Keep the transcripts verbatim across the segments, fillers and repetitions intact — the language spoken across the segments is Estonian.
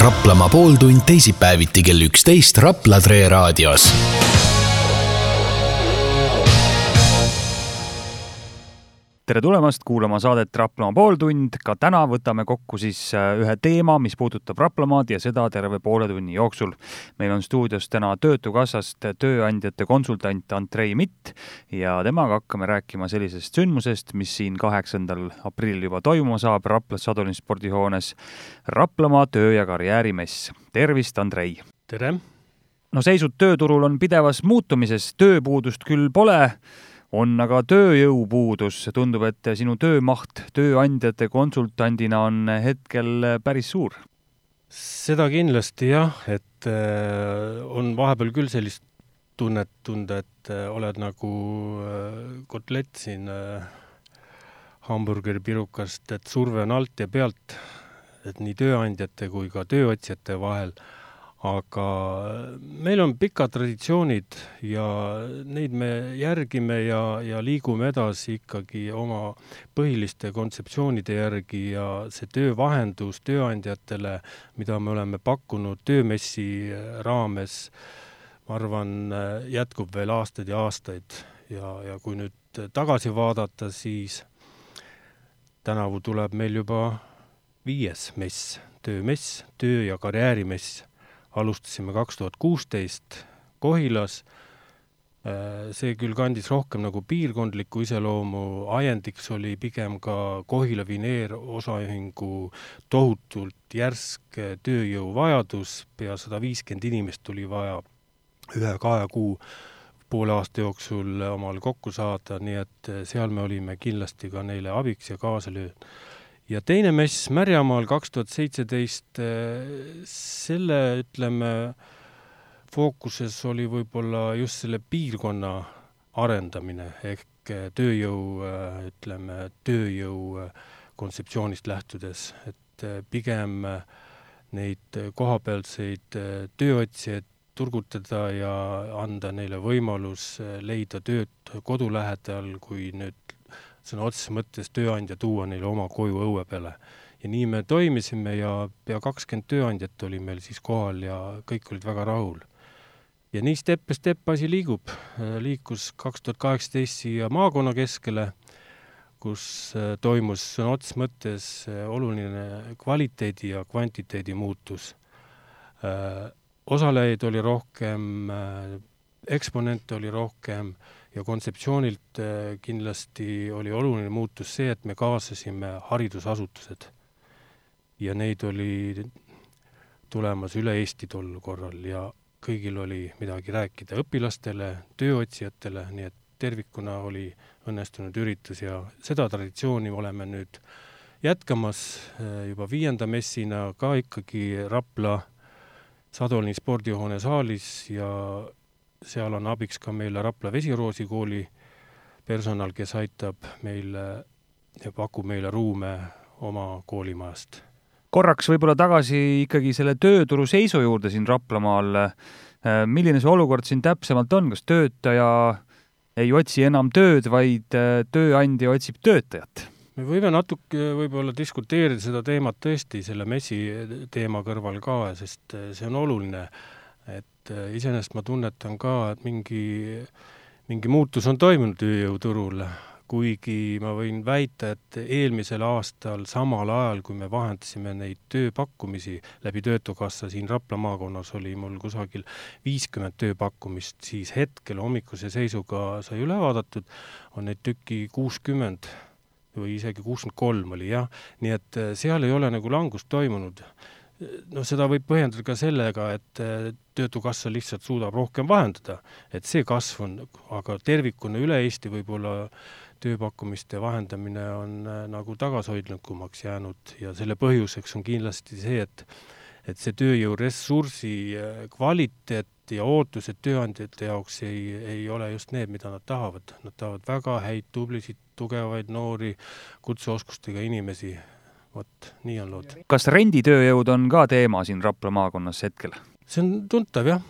Raplamaa pooltund teisipäeviti kell üksteist Rapla Tre raadios. Tere tulemast kuulama saadet Raplamaa pooltund. Ka täna võtame kokku siis ühe teema, mis puudutab Raplamaad ja seda terve poole tunni jooksul. Meil on stuudios täna Töötukassast tööandjate konsultant Andrei Mitt ja temaga hakkame rääkima sellisest sündmusest, mis siin kaheksandal aprillil juba toimuma saab Raplas Sadolin spordihoones. Raplamaa töö- ja karjäärimess. Tervist, Andrei! Tere! No seisud tööturul on pidevas muutumises, tööpuudust küll pole, on aga tööjõupuudus. Tundub, et sinu töömaht tööandjate konsultandina on hetkel päris suur. Seda kindlasti jah, et on vahepeal küll sellist tunnet tunda, et oled nagu kotlett siin hamburgeri pirukast, et surve on alt ja pealt, et nii tööandjate kui ka tööotsijate vahel. Aga meil on pikad traditsioonid ja neid me järgime ja, ja liigume edasi ikkagi oma põhiliste kontseptsioonide järgi ja see töövahendus tööandjatele, mida me oleme pakkunud töömessi raames, ma arvan, jätkub veel aastaid ja aastaid. Ja, ja kui nüüd tagasi vaadata, siis tänavu tuleb meil juba viies mess, töömess, töö- ja karjäärimess. Alustasime kaks tuhat kuusteist Kohilas. See küll kandis rohkem nagu piirkondliku iseloomu. Ajendiks oli pigem ka Kohila Vineer osaühingu tohutult järsk tööjõu vajadus. Pea sada viiskümmend inimest tuli vaja ühe kahe kuu poole aasta jooksul omal kokku saada, nii et seal me olime kindlasti ka neile abiks ja kaasa lööd. Ja teine mess Märjamaal kaks tuhat seitseteist, selle, ütleme, fookuses oli võib-olla just selle piirkonna arendamine ehk tööjõu, ütleme, tööjõu kontseptsioonist lähtudes, et pigem neid kohapealseid tööotsijaid turgutada ja anda neile võimalus leida tööd kodu lähedal, kui nüüd sõna otseses mõttes tööandja tuua neile oma koju õue peale. Ja nii me toimisime ja pea kakskümmend tööandjat oli meil siis kohal ja kõik olid väga rahul. Ja nii step by step asi liigub. Liikus kaks tuhat kaheksateist siia maakonna keskele, kus toimus sõna otseses mõttes oluline kvaliteedi ja kvantiteedi muutus. Osalejaid oli rohkem, eksponente oli rohkem ja kontseptsioonilt kindlasti oli oluline muutus see, et me kaasasime haridusasutused. Ja neid oli tulemas üle Eesti tol korral ja kõigil oli midagi rääkida õpilastele, tööotsijatele, nii et tervikuna oli õnnestunud üritus ja seda traditsiooni oleme nüüd jätkamas juba viienda messina ka ikkagi Rapla Sadolini spordihoone saalis ja seal on abiks ka meile Rapla Vesiroosi kooli personal, kes aitab meile ja pakub meile ruume oma koolimajast. Korraks võib-olla tagasi ikkagi selle tööturu seisu juurde siin Raplamaal. Milline see olukord siin täpsemalt on? Kas töötaja ei otsi enam tööd, vaid tööandja otsib töötajat? Me võime natuke võib-olla diskuteerida seda teemat tõesti selle messi teema kõrval ka, sest see on oluline. Et iseenesest ma tunnetan ka, et mingi, mingi muutus on toimunud tööjõuturul, kuigi ma võin väita, et eelmisel aastal samal ajal, kui me vahendasime neid tööpakkumisi läbi Töötukassa siin Rapla maakonnas, oli mul kusagil viiskümmend tööpakkumist, siis hetkel hommikuse seisuga sai üle vaadatud, on neid tükki kuuskümmend või isegi kuuskümmend kolm oli, jah. Nii et seal ei ole nagu langust toimunud. No seda võib põhjendada ka sellega, et Töötukassa lihtsalt suudab rohkem vahendada, et see kasv on, aga tervikuna üle Eesti võib-olla tööpakkumiste vahendamine on nagu tagashoidlikumaks jäänud ja selle põhjuseks on kindlasti see, et, et see tööjõuressursi kvaliteet ja ootused tööandjate jaoks ei, ei ole just need, mida nad tahavad. Nad tahavad väga häid, tublisid, tugevaid, noori, kutseoskustega inimesi. Vot, nii on lood. Kas renditööjõud on ka teema siin Rapla maakonnas hetkel? See on tuntav, jah.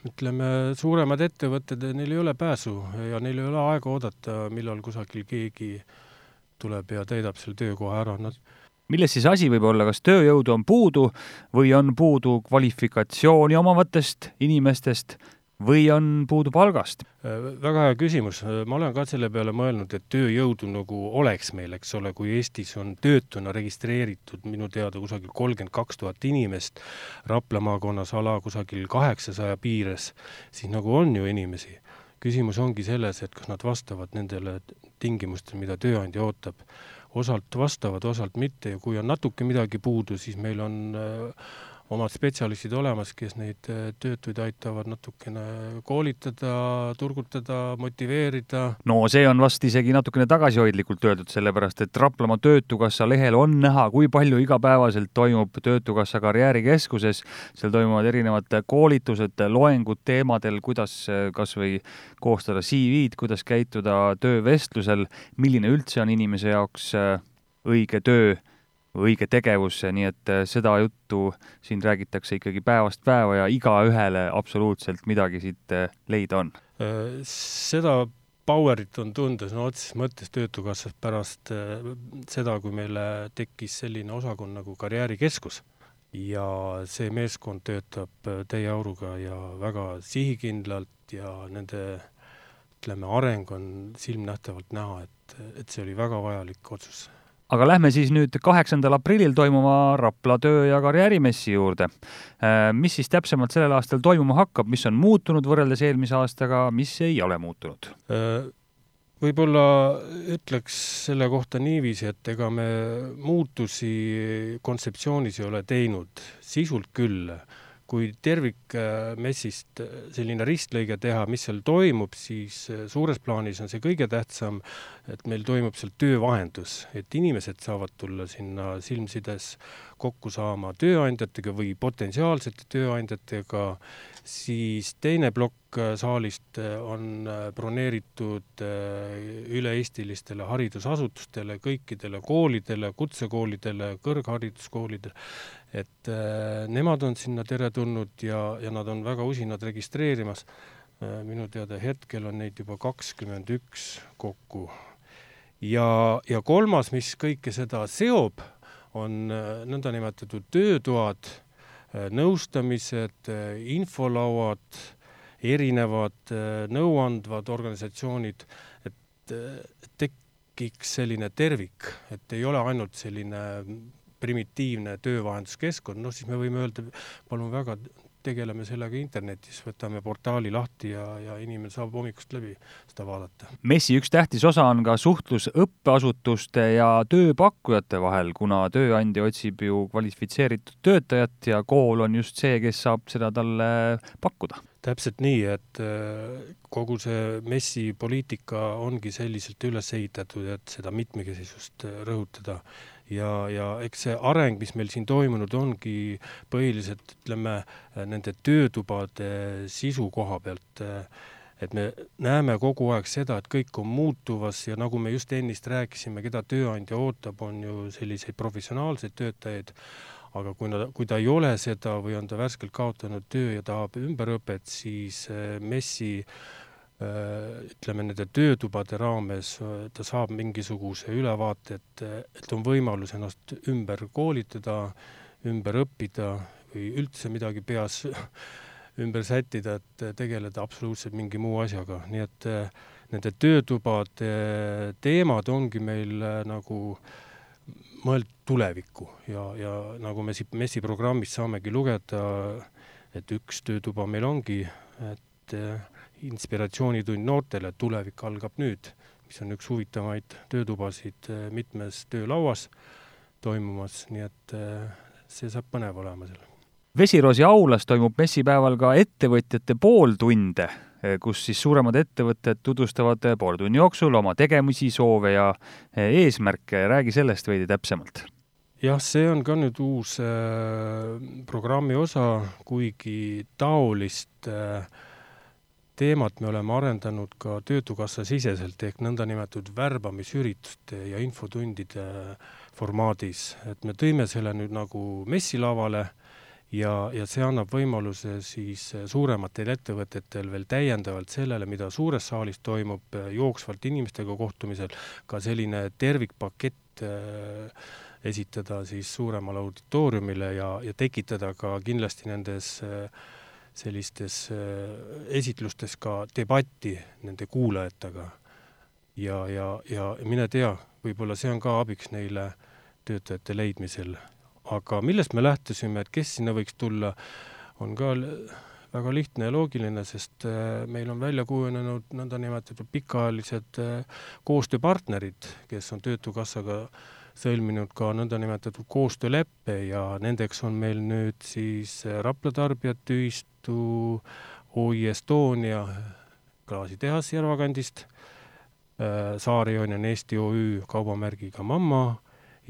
Ütleme, suuremad ettevõtted, neil ei ole pääsu ja neil ei ole aega oodata, millal kusagil keegi tuleb ja täidab selle töökoha ära. Nad Milles siis asi võib olla, kas tööjõudu on puudu või on puudu kvalifikatsiooni omavatest inimestest või on puudu palgast? Väga hea küsimus. Ma olen ka selle peale mõelnud, et tööjõudu nagu oleks meil, eks ole, kui Eestis on töötuna registreeritud minu teada kusagil kolmkümmend kaks tuhat inimest, Rapla maakonnas ala kusagil kaheksasaja piires, siis nagu on ju inimesi. Küsimus ongi selles, et kas nad vastavad nendele tingimustele, mida tööandja ootab. Osalt vastavad, osalt mitte ja kui on natuke midagi puudu, siis meil on omad spetsialistid olemas, kes neid töötuid aitavad natukene koolitada, turgutada, motiveerida. No see on vast isegi natukene tagasihoidlikult öeldud, sellepärast, et Raplamaa Töötukassa lehel on näha, kui palju igapäevaselt toimub Töötukassa karjäärikeskuses. Seal toimuvad erinevad koolitused, loengud teemadel, kuidas kas või koostada C V-d, kuidas käituda töövestlusel, milline üldse on inimese jaoks õige töö, õige tegevus, nii et seda juttu siin räägitakse ikkagi päevast päeva ja iga ühele absoluutselt midagi siit leida on. Seda powerit on tundes no otses mõttes Töötukassas pärast seda, kui meile tekkis selline osakond nagu karjäärikeskus ja see meeskond töötab täie auruga ja väga sihikindlalt ja nende ütleme, areng on silmnähtavalt näha, et, et see oli väga vajalik otsus. Aga lähme siis nüüd kaheksandal aprillil toimuma Rapla töö- ja karjäärimessi juurde. Mis siis täpsemalt sellel aastal toimuma hakkab, mis on muutunud võrreldes eelmise aastaga, mis ei ole muutunud? Võib-olla ütleks selle kohta niiviisi, et ega me muutusi kontseptsioonis ei ole teinud, sisult küll. Kui tervik messist selline ristlõige teha, mis seal toimub, siis suures plaanis on see kõige tähtsam, et meil toimub seal töövahendus, et inimesed saavad tulla sinna silmsides kokku saama tööandjatega või potentsiaalsete tööandjatega, siis teine plokk saalist on broneeritud üle-eestilistele haridusasutustele, kõikidele koolidele, kutsekoolidele, kõrghariduskoolidele, et nemad on sinna tere tulnud ja, ja nad on väga usinad registreerimas. Minu teada hetkel on neid juba kakskümmend üks kokku. Ja, ja kolmas, mis kõike seda seob, on nõnda nimetatud töötoad, nõustamised, infolauad, erinevad nõuandvad organisatsioonid, et tekiks selline tervik, et ei ole ainult selline primitiivne töövahenduskeskkond, no siis me võime öelda, palun väga, tegeleme sellega internetis, võtame portaali lahti ja, ja inimene saab hommikust läbi seda vaadata. Messi üks tähtis osa on ka suhtlus õppeasutuste ja tööpakkujate vahel, kuna tööandja otsib ju kvalifitseeritud töötajat ja kool on just see, kes saab seda talle pakkuda. Täpselt nii, et kogu see Messi poliitika ongi selliselt üles ehitatud, et seda mitmekesisust rõhutada. Ja, ja eks see areng, mis meil siin toimunud ongi põhiliselt, ütleme, nende töötubade sisu koha pealt, et me näeme kogu aeg seda, et kõik on muutuvas ja nagu me just ennist rääkisime, keda tööandja ootab, on ju selliseid professionaalseid töötajaid, aga kui, nad, kui ta ei ole seda või on ta värskelt kaotanud töö ja tahab ümberõpet, siis Messi ütleme, nende töötubade raames ta saab mingisuguse ülevaate, et, et on võimalus ennast ümber koolitada, ümber õppida või üldse midagi peas ümber sättida, et tegeleda absoluutselt mingi muu asjaga. Nii et nende töötubade teemad ongi meil nagu mõeld tulevikku ja, ja nagu me siit Messi programmist saamegi lugeda, et üks töötuba meil ongi, et inspiratsioonitund noortele, tulevik algab nüüd, mis on üks huvitavaid töötubasid mitmes töölauas toimumas, nii et see saab põnev olema seal. Vesiroosi aulas toimub messipäeval ka ettevõtjate pooltunde, kus siis suuremad ettevõtted tutvustavad pool tunni jooksul oma tegemisi, soove ja eesmärke. Räägi sellest veidi täpsemalt. Jah, see on ka nüüd uus programmi osa, kuigi taolist teemat me oleme arendanud ka Töötukassa siseselt ehk nõnda nimetatud värbamisürituste ja infotundide formaadis. Et me tõime selle nüüd nagu messilavale ja, ja see annab võimaluse siis suurematel ettevõtetel veel täiendavalt sellele, mida suures saalis toimub jooksvalt inimestega kohtumisel, ka selline tervikpakett esitada siis suuremale auditooriumile ja, ja tekitada ka kindlasti nendes sellistes esitlustes ka debatti nende kuulajatega. Ja, ja, ja mine tea, võib-olla see on ka abiks neile töötajate leidmisel. Aga millest me lähtusime, et kes sinna võiks tulla, on ka väga lihtne ja loogiline, sest meil on välja kujunenud nõnda nimetatud pikaajalised koostööpartnerid, kes on Töötukassaga sõlminud ka nõnda nimetatud koostööleppe ja nendeks on meil nüüd siis Rapla tarbijate ühistu, O I Estonia, klaasitehas Järvakandist, Saare-Joon Eesti O Ü kaubamärgiga Mamma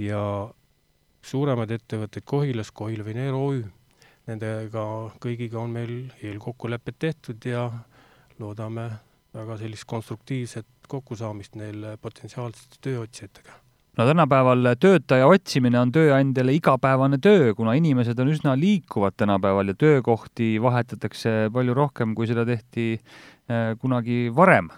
ja suuremad ettevõtted Kohilas, Kohila Veneer O Ü. Nendega kõigiga on meil eelkokkulepped tehtud ja loodame väga sellist konstruktiivset kokkusaamist neil potentsiaalsete tööotsijatega. No tänapäeval töötaja otsimine on tööandjale igapäevane töö, kuna inimesed on üsna liikuvad tänapäeval ja töökohti vahetatakse palju rohkem, kui seda tehti kunagi varem.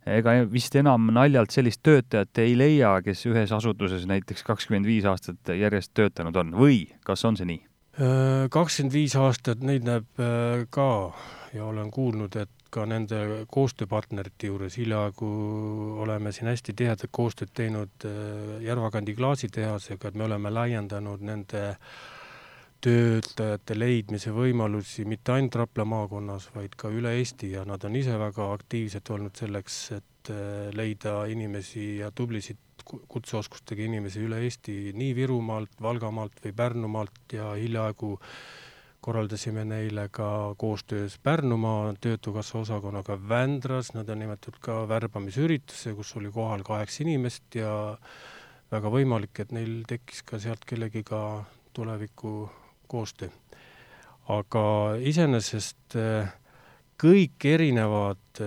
Ega vist enam naljalt sellist töötajat ei leia, kes ühes asutuses näiteks kakskümmend viis aastat järjest töötanud on. Või kas on see nii? kakskümmend viis aastat neid näeb ka ja olen kuulnud, et ka nende koostööpartnerite juures hiljaaegu oleme siin hästi tihedat koostööd teinud Järvakandi klaasitehasega, et me oleme laiendanud nende töötajate leidmise võimalusi mitte ainult Rapla maakonnas, vaid ka üle Eesti ja nad on ise väga aktiivselt olnud selleks, et leida inimesi ja tublisid kutseoskustega inimesi üle Eesti, nii Virumaalt, Valgamaalt või Pärnumaalt ja hiljaaegu korraldasime neile ka koostöös Pärnumaa Töötukassa osakonnaga Vändras, nad on nimetatud ka värbamisürituse, kus oli kohal kaheksa inimest ja väga võimalik, et neil tekkis ka sealt kellegiga tuleviku koostöö. Aga iseenesest kõik erinevad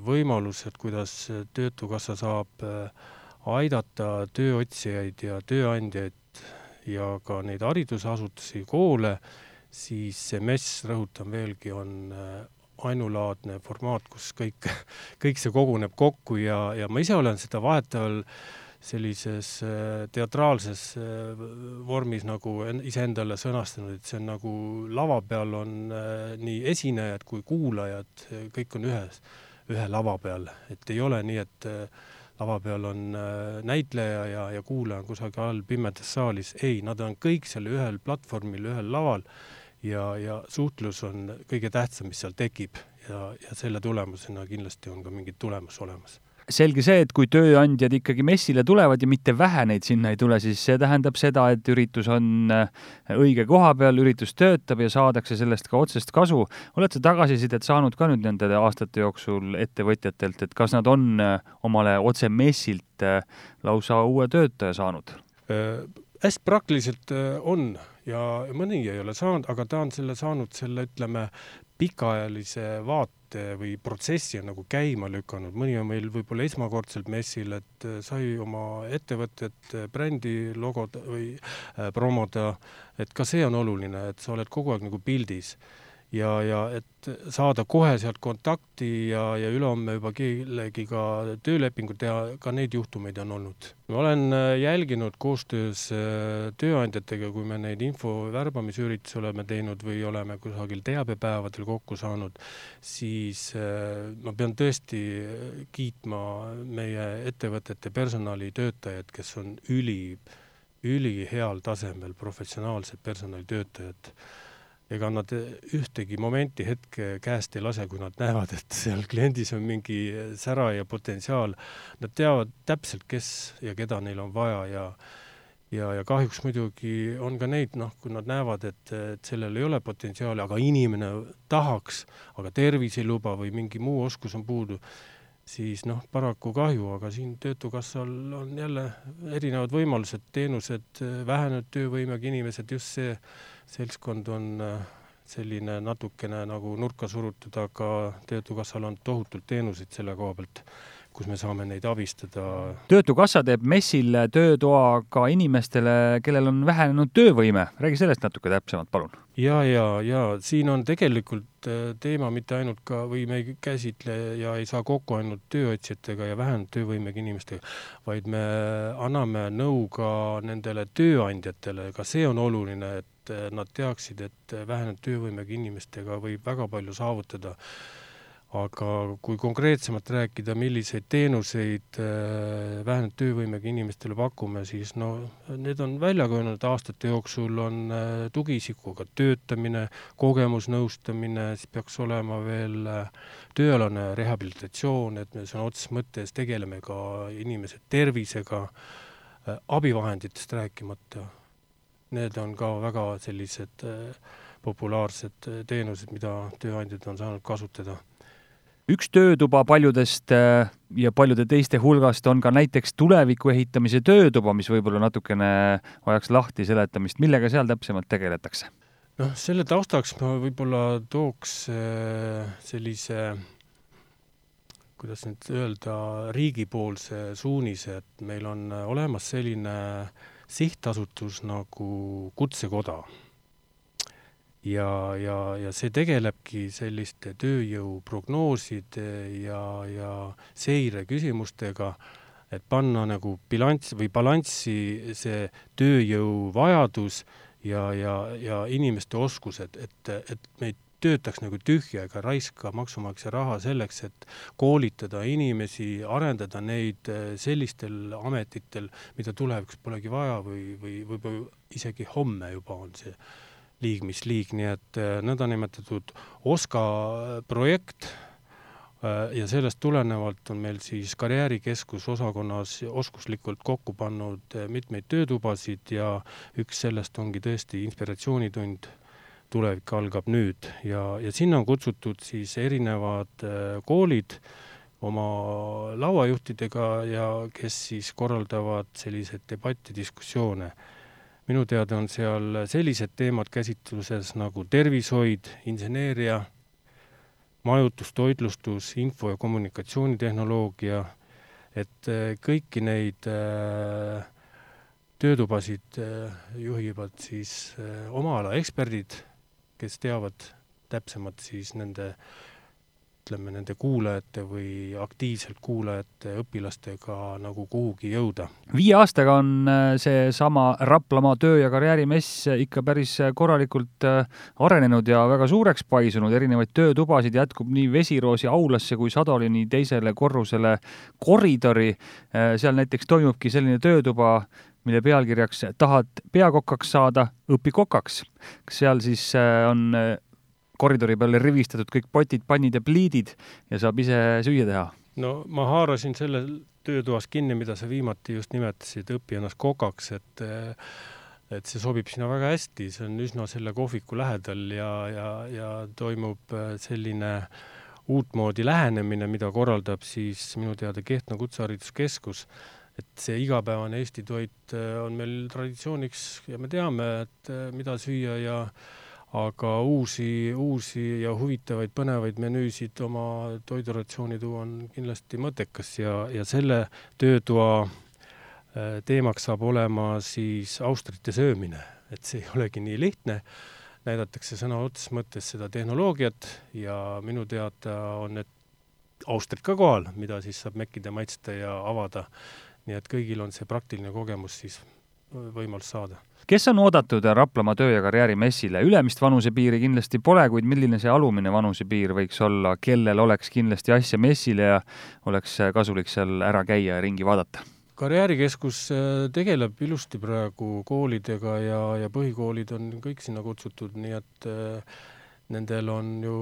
võimalused, kuidas Töötukassa saab aidata tööotsijaid ja tööandjaid ja ka neid haridusasutusi, koole, siis see M E S, rõhutan veelgi, on ainulaadne formaat, kus kõik, kõik see koguneb kokku ja, ja ma ise olen seda vahetavalt sellises teatraalses vormis nagu iseendale sõnastanud, et see on nagu lava peal on nii esinejad kui kuulajad, kõik on ühes, ühe lava peal, et ei ole nii, et lava peal on näitleja ja, ja kuulaja on kusagil all pimedas saalis. Ei, nad on kõik selle ühel platvormil, ühel laval ja, ja suhtlus on kõige tähtsam, mis seal tekib ja, ja selle tulemusena kindlasti on ka mingid tulemus olemas. Selge see, et kui tööandjad ikkagi messile tulevad ja mitte vähe neid sinna ei tule, siis see tähendab seda, et üritus on õige koha peal, üritus töötab ja saadakse sellest ka otsest kasu. Oled sa tagasisidet saanud ka nüüd nende aastate jooksul ettevõtjatelt, et kas nad on omale otse messilt lausa uue töötaja saanud? Äh, hästi praktiliselt on ja mõni ei ole saanud, aga ta on selle saanud selle, ütleme, pikaajalise vaate või protsessi on nagu käima lükanud. Mõni on meil võib-olla esmakordselt messil, et sai oma ettevõtet, brändi logod või promoda, et ka see on oluline, et sa oled kogu aeg nagu pildis ja, ja et saada kohe sealt kontakti ja, ja ülehomme juba kellegiga töölepingu teha, ka neid juhtumeid on olnud. Ma olen jälginud koostöös tööandjatega, kui me neid info värbamisüritusi oleme teinud või oleme kusagil teabepäevadel kokku saanud, siis ma pean tõesti kiitma meie ettevõtete personalitöötajad, kes on üli, üli heal tasemel professionaalsed personalitöötajad. Ega nad ühtegi momenti hetke käest ei lase, kui nad näevad, et seal kliendis on mingi sära ja potentsiaal. Nad teavad täpselt, kes ja keda neil on vaja ja, ja, ja kahjuks muidugi on ka neid, noh, kui nad näevad, et, et sellel ei ole potentsiaali, aga inimene tahaks, aga tervis ei luba või mingi muu oskus on puudu, siis noh, paraku kahju, aga siin Töötukassal on jälle erinevad võimalused, teenused, vähenenud töövõimega inimesed, just see seltskond on selline natukene nagu nurka surutud, aga Töötukassal on tohutult teenuseid selle koha pealt, kus me saame neid abistada. Töötukassa teeb messil töötoa ka inimestele, kellel on vähenenud töövõime. Räägi sellest natuke täpsemalt, palun. Ja, ja, ja siin on tegelikult teema mitte ainult ka, või me ei käsitle ja ei saa kokku ainult tööotsijatega ja vähenenud töövõimega inimestega, vaid me anname nõu ka nendele tööandjatele. Ka see on oluline, et nad teaksid, et vähenenud töövõimega inimestega võib väga palju saavutada. Aga kui konkreetsemalt rääkida, milliseid teenuseid vähenenud töövõimega inimestele pakume, siis no, need on välja kujunenud aastate jooksul on tugiisikuga töötamine, kogemusnõustamine, siis peaks olema veel tööalane rehabilitatsioon, et me sõna otseses mõttes tegeleme ka inimese tervisega, abivahenditest rääkimata. Need on ka väga sellised populaarsed teenused, mida tööandjad on saanud kasutada. Üks töötuba paljudest ja paljude teiste hulgast on ka näiteks tuleviku ehitamise töötuba, mis võib-olla natukene vajaks lahti seletamist. Millega seal täpsemalt tegeletakse? No, selle taustaks ma võib-olla tooks sellise, kuidas nüüd öelda, riigipoolse suunise, et meil on olemas selline sihtasutus nagu Kutsekoda. Ja, ja, ja see tegelebki selliste tööjõu prognooside ja, ja seire küsimustega, et panna nagu bilanss või balanssi see tööjõu vajadus ja, ja, ja inimeste oskused, et, et me ei töötaks nagu tühja ega raiska maksumaksja raha selleks, et koolitada inimesi, arendada neid sellistel ametitel, mida tulevikus polegi vaja või, või, või isegi homme juba on see liig, mis liig, nii et nõndanimetatud OSKA projekt ja sellest tulenevalt on meil siis karjäärikeskus osakonnas oskuslikult kokku pannud mitmeid töötubasid ja üks sellest ongi tõesti inspiratsioonitund tulevik algab nüüd ja, ja sinna on kutsutud siis erinevad koolid oma lauajuhtidega ja kes siis korraldavad sellised debatti, diskussioone. Minu teada on seal sellised teemad käsitluses nagu tervishoid, inseneeria, majutus, toitlustus, info- ja kommunikatsioonitehnoloogia, et kõiki neid töötubasid juhivad siis oma ala eksperdid, kes teavad täpsemalt siis nende, ütleme, nende kuulajate või aktiivselt kuulajate õpilastega nagu kuhugi jõuda. Viie aastaga on see sama Raplamaa töö- ja karjäärimess ikka päris korralikult arenenud ja väga suureks paisunud. Erinevaid töötubasid jätkub nii Vesiroosi aulasse kui Sadolini teisele korrusele koridori. Seal näiteks toimubki selline töötuba, mille pealkirjaks tahad peakokaks saada, õpi kokaks. Seal siis on koridori peale rivistatud kõik potid, pannid ja pliidid ja saab ise süüa teha. No ma haarasin selle töötoas kinni, mida sa viimati just nimetasid, õpi ennast kokaks, et, et see sobib sinna väga hästi. See on üsna selle kohviku lähedal ja, ja, ja toimub selline uutmoodi lähenemine, mida korraldab siis minu teada Kehtna kutsehariduskeskus. Et see igapäevane Eesti toit on meil traditsiooniks ja me teame, et mida süüa ja aga uusi, uusi ja huvitavaid põnevaid menüüsid oma toiduratsiooni tuua on kindlasti mõttekas ja, ja selle töötoa teemaks saab olema siis austrite söömine. Et see ei olegi nii lihtne. Näidatakse sõna otseses mõttes seda tehnoloogiat ja minu teada on need austrid ka kohal, mida siis saab mekkida, maitsta ja avada. Nii et kõigil on see praktiline kogemus siis võimalus saada. Kes on oodatud Raplamaa töö- ja karjäärimessile? Ülemist vanusepiiri kindlasti pole, kuid milline see alumine vanusepiir võiks olla, kellel oleks kindlasti asja messile ja oleks kasulik seal ära käia ja ringi vaadata? Karjäärikeskus tegeleb ilusti praegu koolidega ja, ja põhikoolid on kõik sinna kutsutud, nii et nendel on ju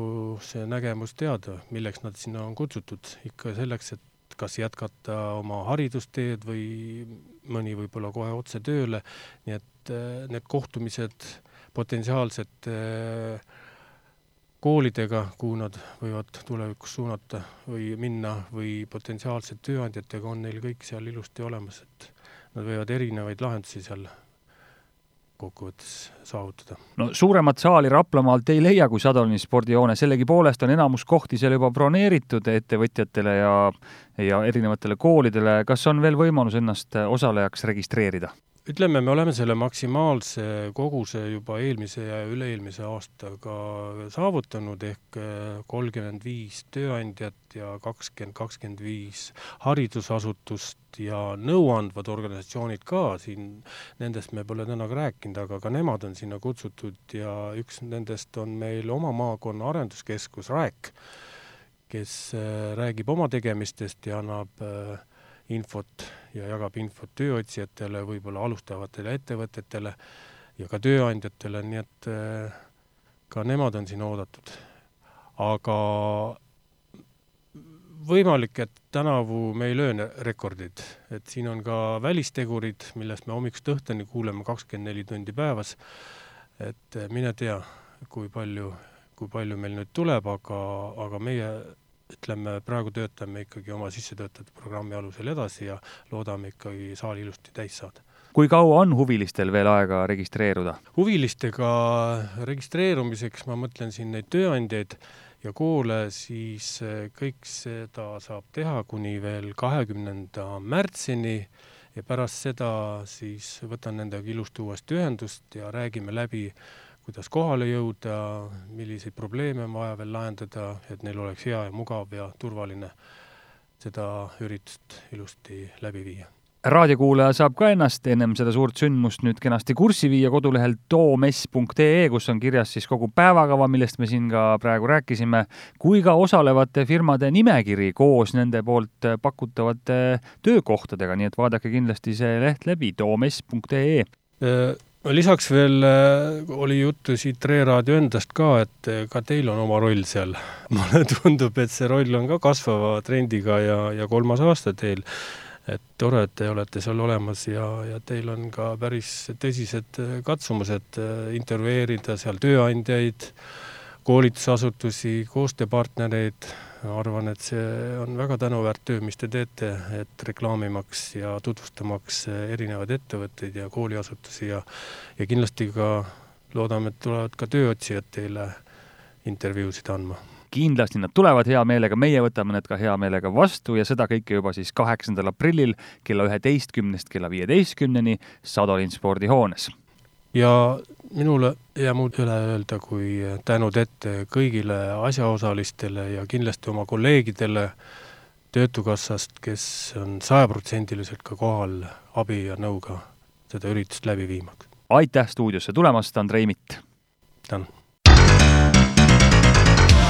see nägemus teada, milleks nad sinna on kutsutud. Ikka selleks, et kas jätkata oma haridusteed või mõni võib-olla kohe otse tööle, nii et need kohtumised potentsiaalsed koolidega, kuhu nad võivad tulevikus suunata või minna või potentsiaalsed tööandjatega on neil kõik seal ilusti olemas, et nad võivad erinevaid lahendusi seal kokkuvõttes saavutada. No suuremat saali Raplamaalt ei leia kui Sadolini spordihoone, sellegi poolest on enamus kohti seal juba broneeritud ettevõtjatele ja, ja erinevatele koolidele. Kas on veel võimalus ennast osalejaks registreerida? Ütleme, me oleme selle maksimaalse koguse juba eelmise ja üle-eelmise aastaga saavutanud ehk kolmkümmend viis tööandjat ja kakskümmend kakskümmend viis haridusasutust ja nõuandvad organisatsioonid ka siin, nendest me pole täna rääkinud, aga ka nemad on sinna kutsutud ja üks nendest on meil oma maakonna arenduskeskus Rääk, kes räägib oma tegemistest ja annab infot ja jagab infot tööotsijatele, võib-olla alustavatele ettevõtetele ja ka tööandjatele, nii et ka nemad on siin oodatud. Aga võimalik, et tänavu me ei löö rekordid, et siin on ka välistegurid, millest me hommikust õhtuni kuuleme kakskümmend neli tundi päevas, et mine tea, kui palju, kui palju meil nüüd tuleb, aga, aga meie ütleme, praegu töötame ikkagi oma sissetöötatud programmi alusel edasi ja loodame ikkagi saali ilusti täis saada. Kui kaua on huvilistel veel aega registreeruda? Huvilistega registreerumiseks ma mõtlen siin neid tööandjaid ja koole, siis kõik seda saab teha kuni veel kahekümnenda märtsini ja pärast seda siis võtan nendega ilusti uuesti ühendust ja räägime läbi, kuidas kohale jõuda, milliseid probleeme on vaja veel lahendada, et neil oleks hea ja mugav ja turvaline seda üritust ilusti läbi viia. Raadiokuulaja saab ka ennast ennem seda suurt sündmust nüüd kenasti kurssi viia kodulehel toomess punkt ee, kus on kirjas siis kogu päevakava, millest me siin ka praegu rääkisime, kui ka osalevate firmade nimekiri koos nende poolt pakutavate töökohtadega, nii et vaadake kindlasti see leht läbi toomess punkt ee. Lisaks veel oli juttu siit Re-raadio endast ka, et ka teil on oma roll seal. Mulle tundub, et see roll on ka kasvava trendiga ja, ja kolmas aasta teil. Et tore, et te olete seal olemas ja, ja teil on ka päris tõsised katsumused intervjueerida seal tööandjaid, koolitusasutusi, koostööpartnereid. Arvan, et see on väga tänuväärt töö, mis te teete, et reklaamimaks ja tutvustamaks erinevaid ettevõtteid ja kooliasutusi ja, ja kindlasti ka loodame, et tulevad ka tööotsijad teile intervjuusid andma. Kindlasti nad tulevad hea meelega, meie võtame need ka hea meelega vastu ja seda kõike juba siis kaheksandal aprillil kella üheteistkümnest kella viieteistkümneni Sadolin spordihoones. Ja minule jää muud üle öelda, kui tänud ette kõigile asjaosalistele ja kindlasti oma kolleegidele Töötukassast, kes on sajaprotsendiliselt ka kohal abi ja nõuga seda üritust läbi viimaks. Aitäh stuudiosse tulemast, Andrei Mitt! Tänan!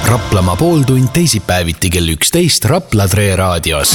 Raplamaa pooltund teisipäeviti kell üksteist Rapla Re raadios.